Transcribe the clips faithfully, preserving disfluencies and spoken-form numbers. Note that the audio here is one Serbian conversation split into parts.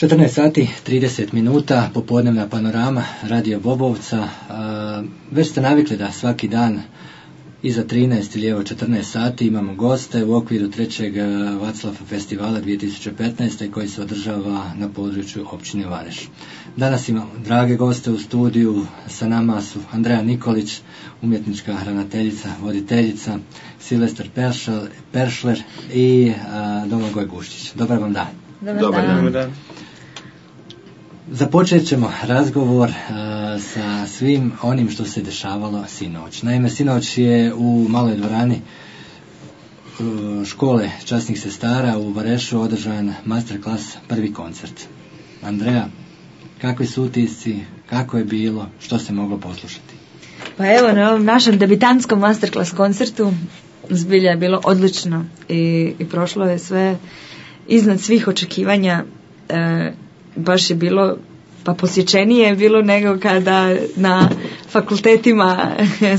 četrnaest sati, trideset minuta, popodnevna panorama, Radio Bobovca. Već ste navikli da svaki dan iza trinaest ili evo četrnaest sati imamo goste u okviru trećeg Vaclav festivala dvije tisuće petnaeste koji se održava na području općine Vareš. Danas imamo drage goste u studiju, sa nama su Andreja Nikolić, umjetnička ravnateljica, voditeljica, Silvestar Peršler i a, Domagoj Guščić. Dobar vam dan. Dobar, Dobar dan. dan. dan. Započet ćemo razgovor uh, sa svim onim što se dešavalo sinoć. Naime, sinoć je u maloj dvorani uh, škole časnih sestara u Varešu održan masterclass, prvi koncert. Andreja, kakvi su utisci, kako je bilo, što se moglo poslušati? Pa evo, na ovom našem debitantskom masterclass koncertu zbilja je bilo odlično i, i prošlo je sve iznad svih očekivanja. E, baš je bilo, pa posjećenije je bilo nego kada na fakultetima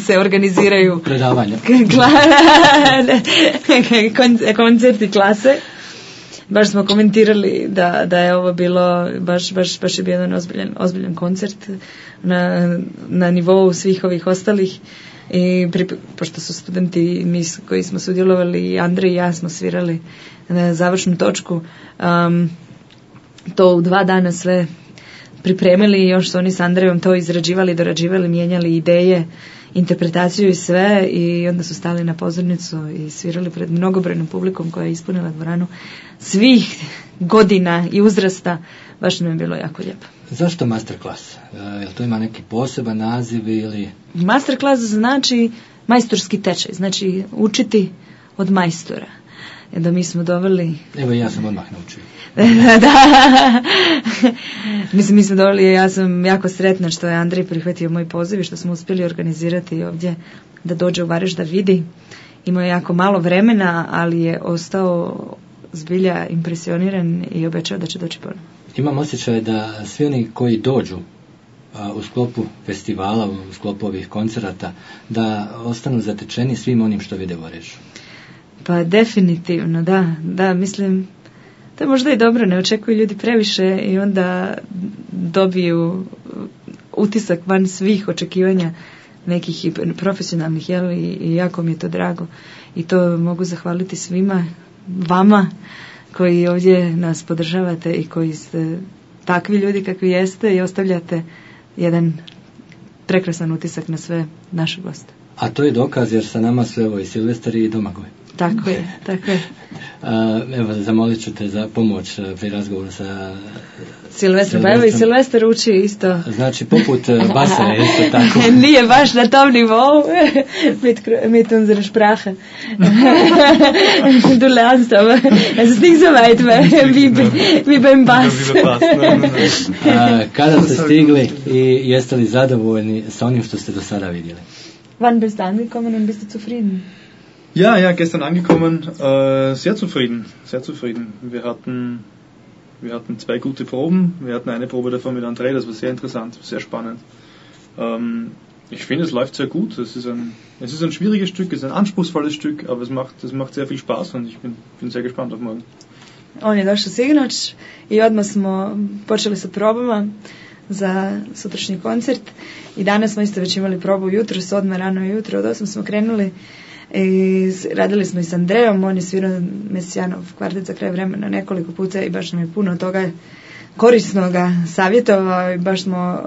se organiziraju predavanja, koncerti klase. Baš smo komentirali da, da je ovo bilo, baš, baš, baš je bio jedan ozbiljan, ozbiljan koncert na, na nivou svih ovih ostalih. I pri, pošto su studenti, mi koji smo sudjelovali, Andrej i ja smo svirali na završnu točku, um, to u dva dana sve pripremili i još su oni s Andrejom to izrađivali, dorađivali, mijenjali ideje, interpretaciju i sve, i onda su stali na pozornicu i svirali pred mnogobrojnom publikom koja je ispunila dvoranu svih godina i uzrasta. Baš nam je bilo jako lijepo. Zašto masterclass? Jel to ima neki poseban naziv ili... Masterclass znači majstorski tečaj, znači učiti od majstora. Da mi smo doveli... Evo i ja sam odmah naučio. Da. Mislim, mi smo doveli, ja sam jako sretna što je Andrej prihvatio moj poziv i što smo uspjeli organizirati ovdje da dođe u Vareš da vidi. Imao je jako malo vremena, ali je ostao zbilja impresioniran i obećao da će doći ponovno. Imam osjećaj da svi oni koji dođu a, u sklopu festivala, u sklopu ovih koncerata, da ostanu zatečeni svim onim što vide u Varešu. Pa definitivno, da, da, mislim, to je možda i dobro, ne očekuju ljudi previše i onda dobiju utisak van svih očekivanja nekih i profesionalnih, jel, i, i jako mi je to drago. I to mogu zahvaliti svima, vama koji ovdje nas podržavate i koji ste takvi ljudi kakvi jeste i ostavljate jedan prekrasan utisak na sve naše goste. A to je dokaz jer sa nama su evo i Silvestar i Domagoj. Tako je, tako je. A, evo, zamolit ću te za pomoć pri razgovoru sa Silvestrom. Pa evo i Silvestar uči isto. Znači, poput basa je isto tako. Nije baš na tom nivou. mit, mit unsere Sprache. Du lernst, aber es ist nicht so weit wie, wie beim Bass. A, kada ste stigli i jeste li zadovoljni sa onim što ste do sada vidjeli? Wann bist du angekommen und bist du zufrieden? Ja, ja, gestern angekommen, äh, sehr zufrieden, sehr zufrieden. Wir hatten, wir hatten zwei gute Proben, wir hatten eine Probe davon mit André, das war sehr interessant, sehr spannend. Ähm, ich finde, es läuft sehr gut, es ist ein, es ist ein schwieriges Stück, es ist ein anspruchsvolles Stück, aber es macht, es macht sehr viel Spaß und ich bin, bin sehr gespannt auf morgen. On je došao sinoć i odmah smo počeli sa probama za sutrašnji koncert i danas smo isto već imali probu jutro, s odmah rano jutro, od osam smo krenuli. I radili smo i s Andrejom, on je svirao Mesijanov kvartet za kraj vremena nekoliko puta i baš nam je puno toga korisnoga savjetovao i baš smo,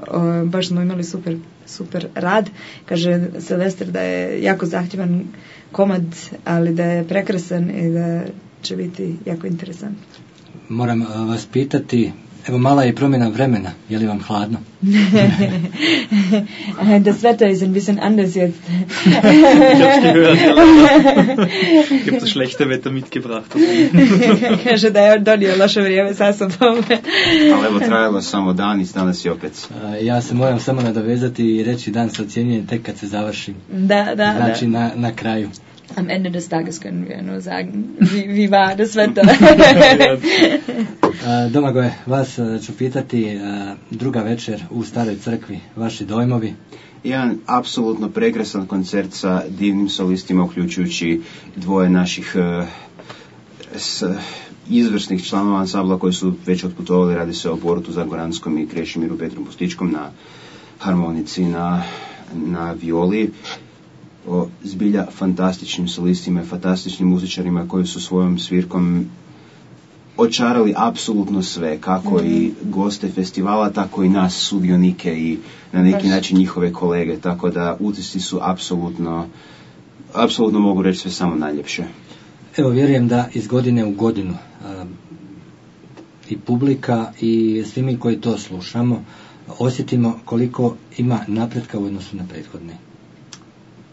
baš smo imali super, super rad. Kaže Silvestar da je jako zahtjevan komad, ali da je prekrasan i da će biti jako interesant. Moram vas pitati, evo mala je promjena vremena, je li vam hladno? Das Wetter ist ein bisschen anders jetzt. Ich hab's gehört. Ich habe das schlechte Wetter mitgebracht. Kaže da je donio loše vrijeme sa sobom. Ali evo trajalo samo dan i danas je opet. Ja se moram samo nadovezati i reći dan se ocjenjuje tek kad se završi. Da, da, znači da. Na, na kraju. Am Ende des Tages können wir nur sagen, wie, wie war das Wetter. Domagoje, vas ću pitati, druga večer u Staroj crkvi, vaši dojmovi? Jedan apsolutno prekrasan koncert sa divnim solistima, uključujući dvoje naših s, izvrsnih članova ansambla koji su već otputovali, radi se o Borutu Zagoranskom i Krešimiru Petru Pustičkom na harmonici, na, na violi, o zbilja fantastičnim solistima i fantastičnim muzičarima koji su svojom svirkom očarali apsolutno sve, kako mm-hmm. i goste festivala, tako i nas sudionike i na neki Baš. način njihove kolege, tako da utisci su apsolutno apsolutno mogu reći sve samo najljepše. Evo, vjerujem da iz godine u godinu a, i publika i svi mi koji to slušamo osjetimo koliko ima napretka u odnosu na prethodne.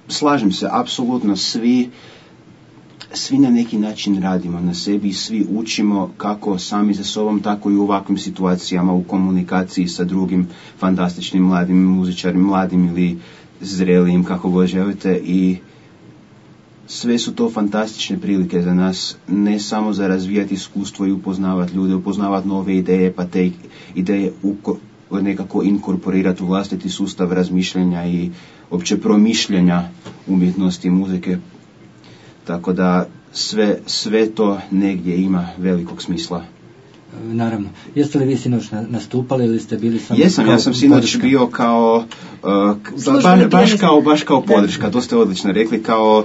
Slažem se, apsolutno svi svi na neki način radimo na sebi i svi učimo kako sami za sobom, tako i u ovakvim situacijama, u komunikaciji sa drugim fantastičnim mladim muzičarima, mladim ili zrelijim, kako god želite, i sve su to fantastične prilike za nas, ne samo za razvijati iskustvo i upoznavati ljude, upoznavati nove ideje, pa te ideje uko, nekako inkorporirati u vlastiti sustav razmišljanja i opće promišljanja umjetnosti i muzike. Tako da sve, sve to negdje ima velikog smisla. Naravno. Jeste li vi sinoć nastupali ili ste bili samo... Jesam, ja sam sinoć podrška? bio kao, uh, ba, baš kao, baš kao podrška, to ste odlično rekli, kao,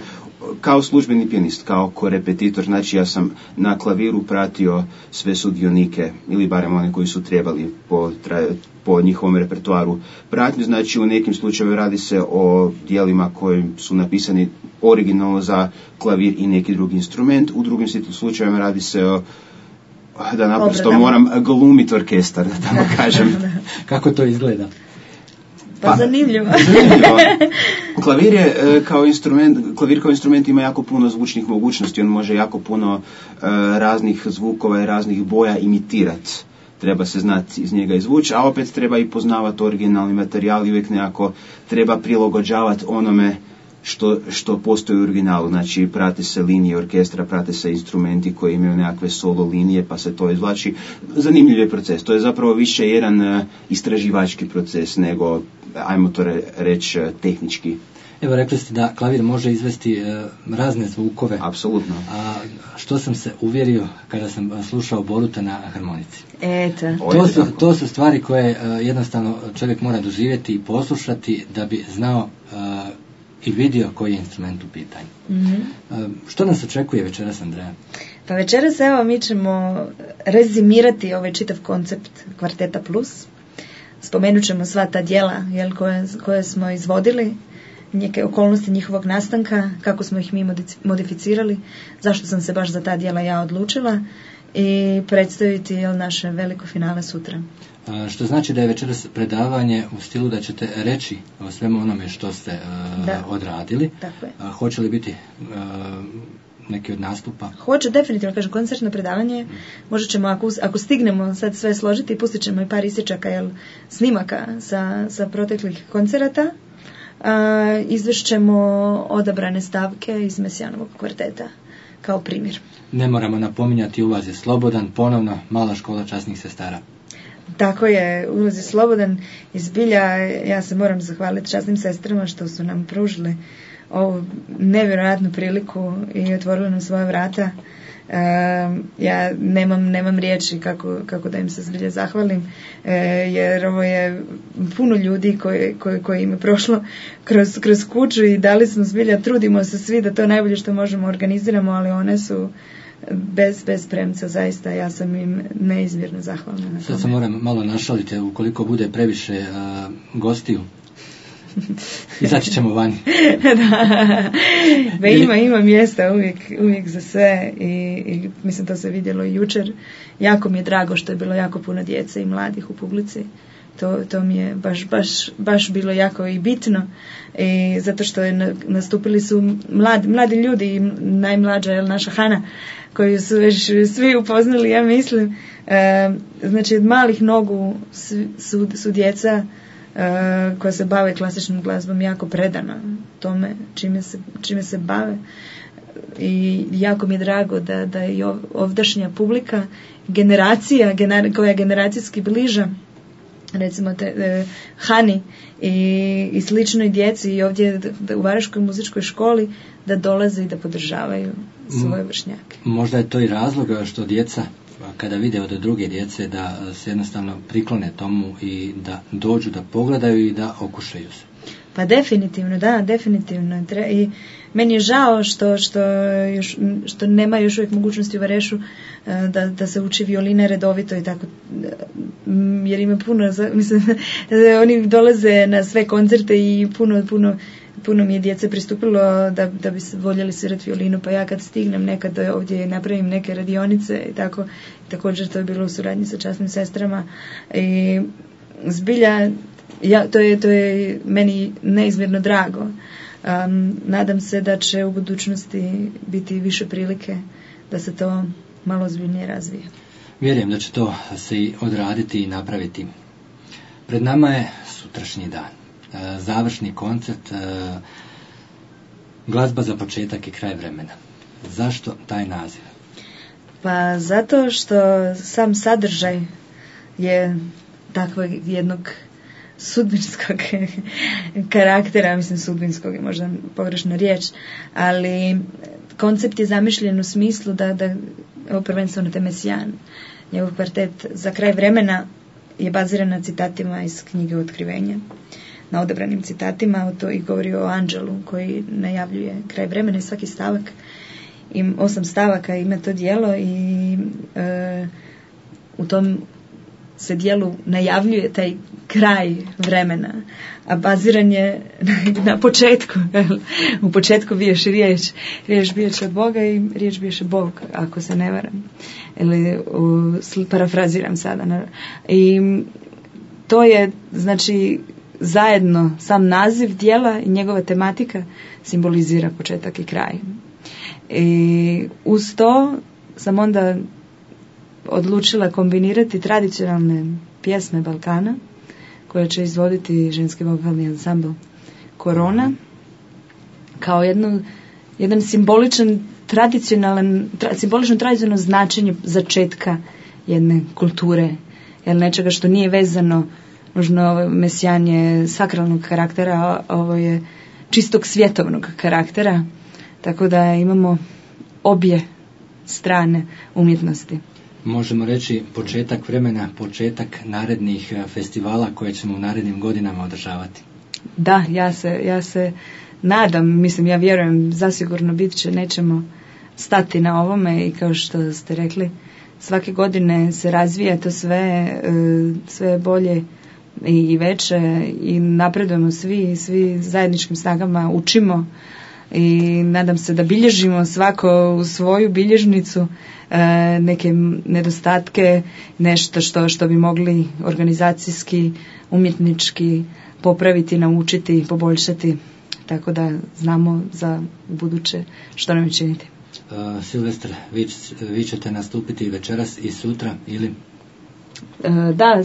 kao službeni pijanist, kao korepetitor, znači ja sam na klaviru pratio sve sudionike, ili barem one koji su trebali po, po njihovom repertoaru pratnju, znači u nekim slučajevima radi se o dijelima koji su napisani originalno za klavir i neki drugi instrument, u drugim slučajevima radi se o, da naprosto Obre, moram glumiti orkestar, da tako kažem. Kako to izgleda? Pa, pa zanimljivo. zanimljivo. Klavir je kao instrument, klavir kao instrument ima jako puno zvučnih mogućnosti, on može jako puno uh, raznih zvukova i raznih boja imitirati. Treba se znati iz njega izvući, a opet treba i poznavati originalni materijal i uvijek nekako treba prilagođavati onome što, što postoji u originalu. Znači, prate se linije orkestra, prate se instrumenti koji imaju nekakve solo linije, pa se to izvlači. Zanimljiv je proces. To je zapravo više jedan uh, istraživački proces nego, ajmo to re, reći, uh, tehnički. Evo, rekli ste da klavir može izvesti uh, razne zvukove. Apsolutno. A što sam se uvjerio kada sam slušao Boruta na harmonici. Eto. To su, to su stvari koje uh, jednostavno čovjek mora doživjeti i poslušati da bi znao uh, i vidio koji je instrument u pitanju. Mm-hmm. Uh, što nas očekuje večeras, Andreja? Pa večeras, evo, mi ćemo rezimirati ovaj čitav koncept Kvarteta Plus. Spomenut ćemo sva ta djela, jel, koje, koje smo izvodili, neke okolnosti njihovog nastanka, kako smo ih mi modificirali, zašto sam se baš za ta djela ja odlučila, i predstaviti, jel, naše veliko finale sutra. A, što znači da je večeras predavanje u stilu da ćete reći o svemu onome što ste a, odradili. Tako je. A, hoće li biti a, neki od nastupa? Hoće, definitivno, kažem, koncertno predavanje. Mm. Možda ćemo, ako, ako stignemo sad sve složiti, pustit ćemo i par isječaka, jel, snimaka sa, sa proteklih koncerata. A, izvešćemo odabrane stavke iz Mesijanovog kvarteta kao primjer. Ne moramo napominjati, ulaz je slobodan, ponovno Mala škola časnih sestara. Tako je, ulaz je slobodan i zbilja, ja se moram zahvaliti časnim sestrama što su nam pružili ovu nevjerojatnu priliku i otvorili nam svoje vrata. Uh, ja nemam, nemam riječi kako, kako da im se zbilja zahvalim, uh, jer ovo je puno ljudi koji, koji, koji im je prošlo kroz, kroz kuću i dali smo zbilja, trudimo se svi da to najbolje što možemo organiziramo, ali one su bez, bez premca, zaista ja sam im neizmjerno zahvalna na tome. Sad se moram malo našaliti, ukoliko bude previše uh, gostiju izaći ćemo vani. Da, ba, ima, ima mjesta uvijek, uvijek za sve i, i mislim to se vidjelo i jučer. Jako mi je drago što je bilo jako puno djece i mladih u publici. To, to mi je baš, baš, baš bilo jako i bitno, i zato što je nastupili su mladi, mladi ljudi i najmlađa je naša Hana, koju su već svi upoznali, ja mislim. E, znači od malih nogu su, su djeca Uh, koja se bave klasičnom glazbom jako predana tome čime se, čime se bave, i jako mi je drago da, da i ovdašnja publika, generacija gener, koja je generacijski bliža, recimo te, e, Hani i, i sličnoj djeci i ovdje da, u Varažkoj muzičkoj školi da dolaze i da podržavaju svoje vršnjake. Možda je to i razlog što djeca kada vide od druge djece da se jednostavno priklone tomu i da dođu da pogledaju i da okušaju se. Pa definitivno, da, definitivno. I meni je žao što, što, još, što nema još uvijek mogućnosti u Varešu da, da se uči violina redovito i tako, jer ima puno, mislim, oni dolaze na sve koncerte i puno, puno, puno mi je djece pristupilo da, da bi se voljeli svirati violinu, pa ja kad stignem nekad ovdje napravim neke radionice i tako, također to je bilo u suradnji sa časnim sestrama i zbilja, ja, to, je, to je meni neizmjerno drago. Um, nadam se da će u budućnosti biti više prilike da se to malo ozbiljnije razvije. Vjerujem da će to se i odraditi i napraviti. Pred nama je sutrašnji dan. E, završni koncert, e, glazba za početak i kraj vremena. Zašto taj naziv? Pa zato što sam sadržaj je takvog jednog sudbinskog karaktera, mislim sudbinskog je možda pogrešna riječ, ali koncept je zamišljen u smislu da, da ovo prvenstveno te Mesijan, njegov kvartet za kraj vremena je baziran na citatima iz knjige Otkrivenja, na odabranim citatima, to i govori o anđelu koji najavljuje kraj vremena i svaki stavak, i osam stavaka ima to djelo i e, u tom se dijelu najavljuje taj kraj vremena, a baziran je na početku. U početku biješ riječ, riječ bijeće od Boga i riječ biješe Bog, ako se ne varam. Ili u, parafraziram sada. I to je, znači, zajedno sam naziv dijela i njegova tematika simbolizira početak i kraj. I uz to sam onda odlučila kombinirati tradicionalne pjesme Balkana koje će izvoditi ženski vokalni ansambl Korona kao jedno, jedan simboličan tradicionalan, tra, simbolično tradicionalno značenje začetka jedne kulture, jer nečega što nije vezano nužno mesijanje sakralnog karaktera, ovo je čistog svjetovnog karaktera, tako da imamo obje strane umjetnosti. Možemo reći početak vremena, početak narednih festivala koje ćemo u narednim godinama održavati. Da, ja se, ja se nadam, mislim, ja vjerujem, zasigurno bit će, nećemo stati na ovome i kao što ste rekli, svake godine se razvija to sve, sve bolje i veće i napredujemo svi, svi zajedničkim snagama učimo i nadam se da bilježimo svako u svoju bilježnicu e, neke nedostatke, nešto što, što bi mogli organizacijski, umjetnički popraviti, naučiti, poboljšati, tako da znamo za buduće što nam je činiti. Uh, Silvestar, vi, vi ćete nastupiti večeras i sutra ili? Uh, da,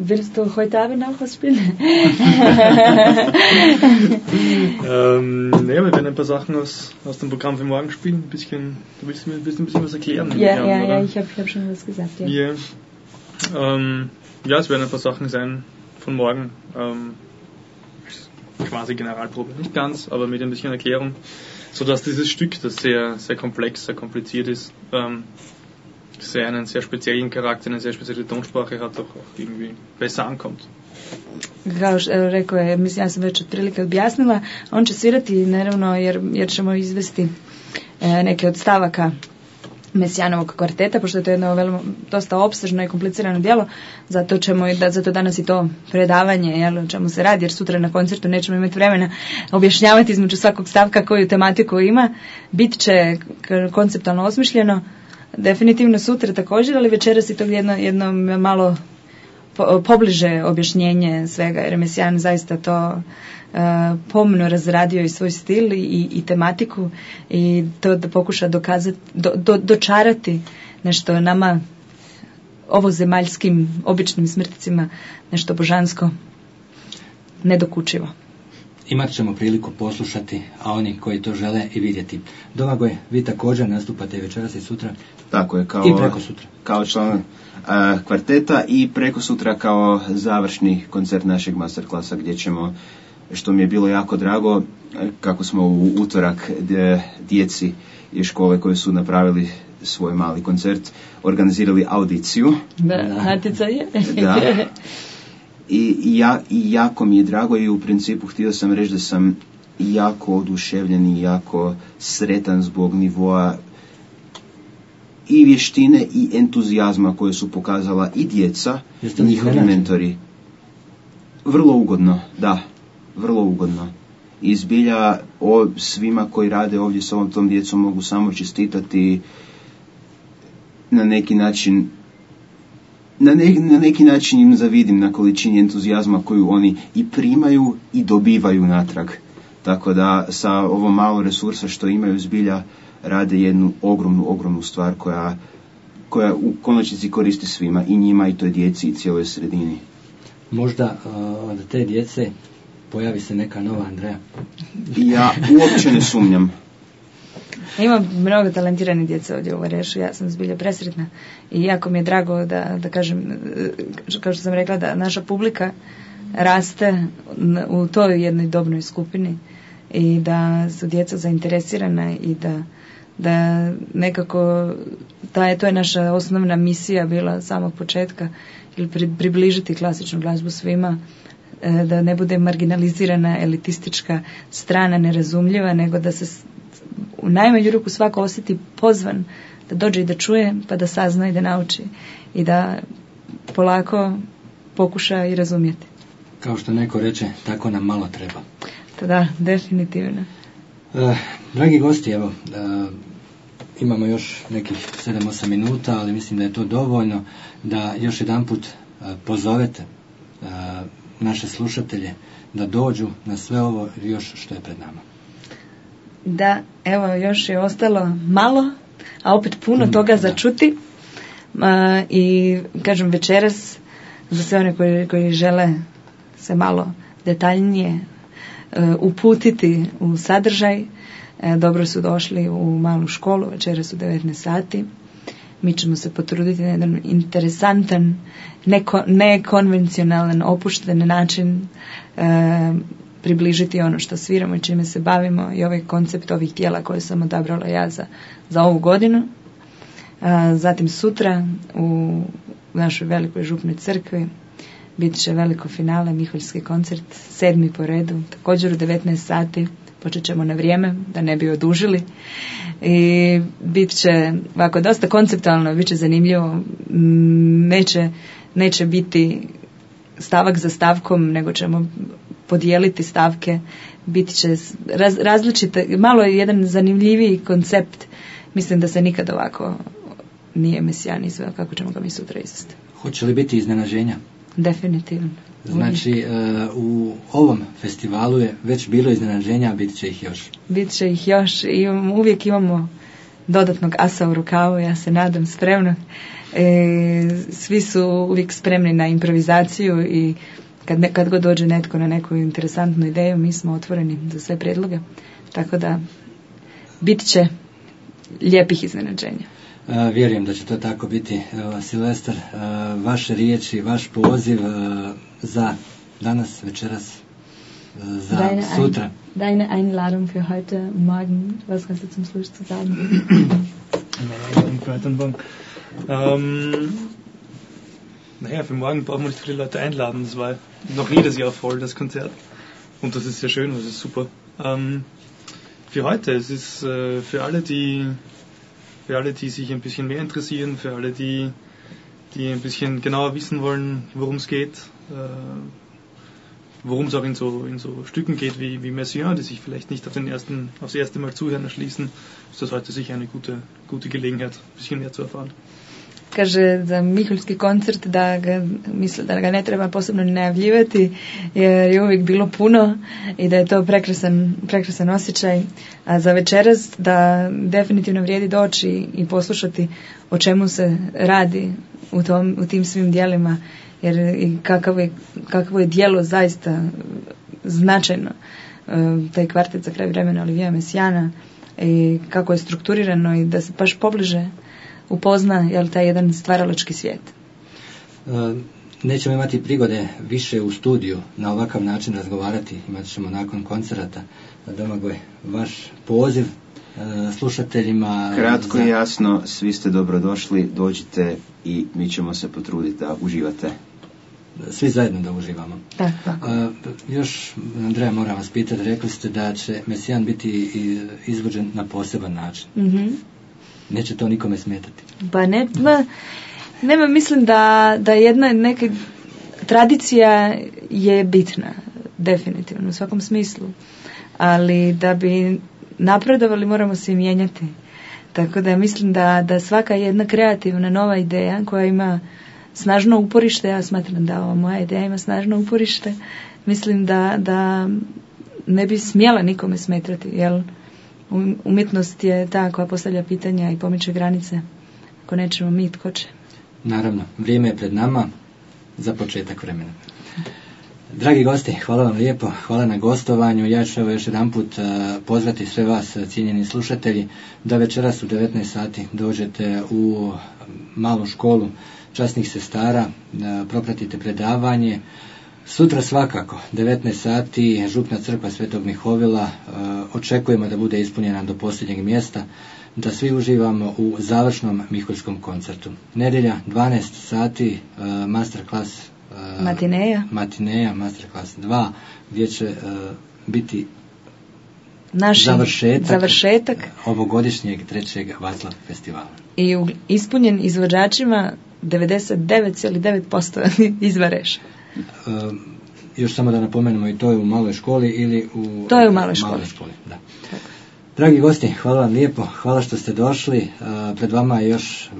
willst du heute Abend auch was spielen? ähm, ne, wir werden ein paar Sachen aus, aus dem Programm für morgen spielen. Ein bisschen, du willst mir ein bisschen, ein bisschen was erklären? Ja, ja, ja, ich habe ich hab schon was gesagt. Ja, yeah. ähm, ja, es werden ein paar Sachen sein von morgen. Ähm, quasi Generalprobe, nicht ganz, aber mit ein bisschen Erklärung, sodass dieses Stück, das sehr, sehr komplex, sehr kompliziert ist, ähm, sehr einen sehr speziellen Charakter, eine sehr spezielle Tonsprache hat, auch, auch irgendwie besser ankommt. Kao što rekao je, mislim, ja sam već otprilike objasnila, on će svirati naravno jer, jer ćemo izvesti e, neke od stavaka Mesijanovog kvarteta, pošto je to jedno veoma, dosta opsežno i komplicirano djelo, zato ćemo i da, zato danas i to predavanje, jel, o čemu se radi, jer sutra na koncertu nećemo imati vremena objašnjavati između svakog stavka koju tematiku ima, bit će konceptualno osmišljeno, definitivno sutra također, ali večeras i to jedno, jedno malo po, pobliže objašnjenje svega, jer je Mesijan zaista to uh, pomno razradio i svoj stil i, i tematiku i to da pokuša dokazati, do, do, dočarati nešto nama ovozemaljskim običnim smrtcima, nešto božansko, nedokučivo. imat ćemo priliku poslušati, a oni koji to žele i vidjeti. Domagoj, vi također nastupate večeras i sutra? Tako je, kao, i preko sutra. Kao član uh, kvarteta i preko sutra kao završni koncert našeg masterklasa gdje ćemo, što mi je bilo jako drago, kako smo u utorak djeci iz škole koji su napravili svoj mali koncert, organizirali audiciju. Da, Hatica je. Da. I, ja, I jako mi je drago i u principu htio sam reći da sam jako oduševljen i jako sretan zbog nivoa i vještine i entuzijazma koje su pokazala i djeca i njihovi mentori. Vrlo ugodno, da, vrlo ugodno. I zbilja o svima koji rade ovdje s ovom tom djecom mogu samo čestitati na neki način. Na, ne, na neki način im zavidim na količini entuzijazma koju oni i primaju i dobivaju natrag. Tako da sa ovom malo resursa što imaju zbilja rade jednu ogromnu, ogromnu stvar koja, koja u konačnici koristi svima, i njima i toj djeci i cijeloj sredini. Možda uh, od te djece pojavi se neka nova Andreja. Ja uopće ne sumnjam. Ima mnogo talentirane djece ovdje u Varešu, ja sam zbilja presretna i jako mi je drago da, da kažem, kao što sam rekla, da naša publika raste u toj jednoj dobnoj skupini i da su djeca zainteresirana i da, da nekako ta, to je naša osnovna misija bila samog početka, ili pri, približiti klasičnu glazbu svima, da ne bude marginalizirana, elitistička strana, nerazumljiva, nego da se u najmanju ruku svako osjeti pozvan da dođe i da čuje, pa da sazna i da nauči i da polako pokuša i razumjeti. Kao što neko reče, tako nam malo treba. Da, definitivno. E, dragi gosti, evo, e, imamo još nekih sedam osam minuta, ali mislim da je to dovoljno da još jedanput e, pozovete e, naše slušatelje da dođu na sve ovo još što je pred nama. Da, evo, još je ostalo malo, a opet puno toga za čuti. A, i kažem, večeras za sve one koji, koji žele se malo detaljnije uh, uputiti u sadržaj, uh, dobro su došli u malu školu, večeras u devetnaest sati. Mi ćemo se potruditi na jedan interesantan, neko, nekonvencionalan, opušten način uh, približiti ono što sviramo i čime se bavimo i ovaj koncept ovih dijela koje sam odabrala ja za, za ovu godinu. A, zatim sutra u našoj velikoj župnoj crkvi bit će veliko finale, Miholjski koncert, sedmi po redu, također u devetnaest sati, počet ćemo na vrijeme da ne bi odužili i bit će ovako dosta konceptualno, bit će zanimljivo, neće, neće biti stavak za stavkom, nego ćemo podijeliti stavke, bit će raz, različite, malo je jedan zanimljiviji koncept, mislim da se nikad ovako nije Mesijan izveo kako ćemo ga mi sutra izvesti. Hoće li biti iznenađenja? Definitivno. Znači, uh, u ovom festivalu je već bilo iznenađenja, a bit će ih još. Bit će ih još i uvijek imamo dodatnog asa u rukavu, ja se nadam, spremno. E, svi su uvijek spremni na improvizaciju i kad, ne, kad god dođe netko na neku interesantnu ideju, mi smo otvoreni za sve predloge. Tako da bit će lijepih iznenađenja. Uh, vjerujem da će to tako biti. Uh, Silvestar, uh, vaše riječi, vaš poziv uh, za danas, večeras, uh, za deine sutra. Ein, deine Einladung für heute, morgen, was kannst du zum Schluss zu sagen? Meine Einladung für heute und morgen. Ähm, naja, für morgen brauchen wir nicht viele Leute einladen. Das war noch jedes Jahr voll, das Konzert. Und das ist sehr schön, das ist super. Ähm, für heute, es ist äh, für alle, die für alle, die sich ein bisschen mehr interessieren, für alle, die, die ein bisschen genauer wissen wollen, worum es geht, äh, worum es auch in so, in so Stücken geht wie, wie Messiaen, die sich vielleicht nicht auf den ersten, aufs erste Mal zuhören erschließen, ist das heute sicher eine gute, gute Gelegenheit, ein bisschen mehr zu erfahren. Kaže za Miholjski koncert da ga, misle, da ga ne treba posebno najavljivati jer je uvijek bilo puno i da je to prekrasan, prekrasan osjećaj. A za večeras da definitivno vrijedi doći i poslušati o čemu se radi u, tom, u tim svim dijelima jer i kakavo je, kakavo je dijelo zaista značajno taj kvartet za kraj vremena Olivija Mesijana i kako je strukturirano i da se baš pobliže upozna jel, taj jedan stvaralački svijet. Nećemo imati prigode više u studiju na ovakav način razgovarati, imat ćemo nakon koncerata. Domagoj, vaš poziv slušateljima. Kratko za... i jasno, svi ste dobrodošli, dođite i mi ćemo se potruditi da uživate. Svi zajedno da uživamo. Da, tako. A, još, Andreja, moram vas pitati, rekli ste da će Mesijan biti izvođen na poseban način. Mm-hmm. Neće to nikome smetati? Pa ne, ma, nema, mislim da, da jedna neka tradicija je bitna, definitivno, u svakom smislu. Ali da bi napredovali moramo se i mijenjati. Tako da mislim da, da svaka jedna kreativna nova ideja koja ima snažno uporište, ja smatram da ova moja ideja ima snažno uporište, mislim da, da ne bi smjela nikome smetati, jer umjetnost je ta koja postavlja pitanja i pomiče granice. Ako nećemo mi, tko će? Naravno, vrijeme je pred nama za početak vremena. Dragi gosti, hvala vam lijepo, hvala na gostovanju. Ja ću evo još jedan put uh, pozvati sve vas, cijenjeni slušatelji, da večeras u devetnaest sati dođete u malu školu časnih sestara, uh, propratite predavanje. Sutra svakako, devetnaest sati, župna crkva Svetog Mihovila, uh, očekujemo da bude ispunjena do posljednjeg mjesta, da svi uživamo u završnom miholjskom koncertu. Nedjelja, dvanaest sati, uh, masterclass Matineja. Matineja, masterclass dva, gdje će uh, biti Naši završetak, završetak ovogodišnjeg trećeg Vaclav festivala. I u, ispunjen izvođačima devedeset devet zarez devet posto izvareša. Uh, još samo da napomenemo, i to je u maloj školi ili u... To je u maloj školi. Maloj školi, da. Dragi gosti, hvala vam lijepo, hvala što ste došli. Uh, pred vama je još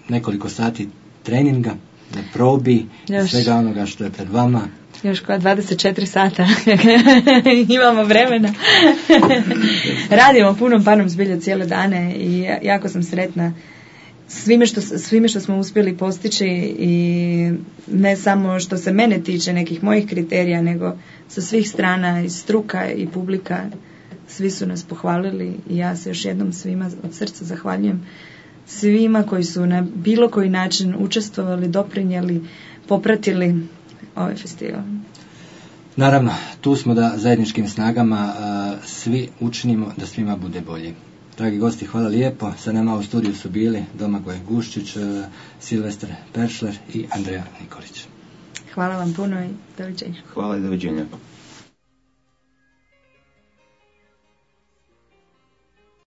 nekoliko sati treninga, na probi, još, svega onoga što je pred vama. Još koja dvadeset četiri sata imamo vremena. Radimo punom panom zbilja cijele dane i jako sam sretna svime što, svime što smo uspjeli postići i ne samo što se mene tiče nekih mojih kriterija, nego sa svih strana i struka i publika. Svi su nas pohvalili i ja se još jednom svima od srca zahvaljujem. Svima koji su na bilo koji način učestvovali, doprinijeli, popratili ovaj festival. Naravno, tu smo da zajedničkim snagama a, svi učinimo da svima bude bolje. Dragi gosti, hvala lijepo. Sa nama u studiju su bili Domagoj Guščić, a, Silvestar Peršler i Andreja Nikolić. Hvala vam puno i doviđenja. Hvala i doviđenja.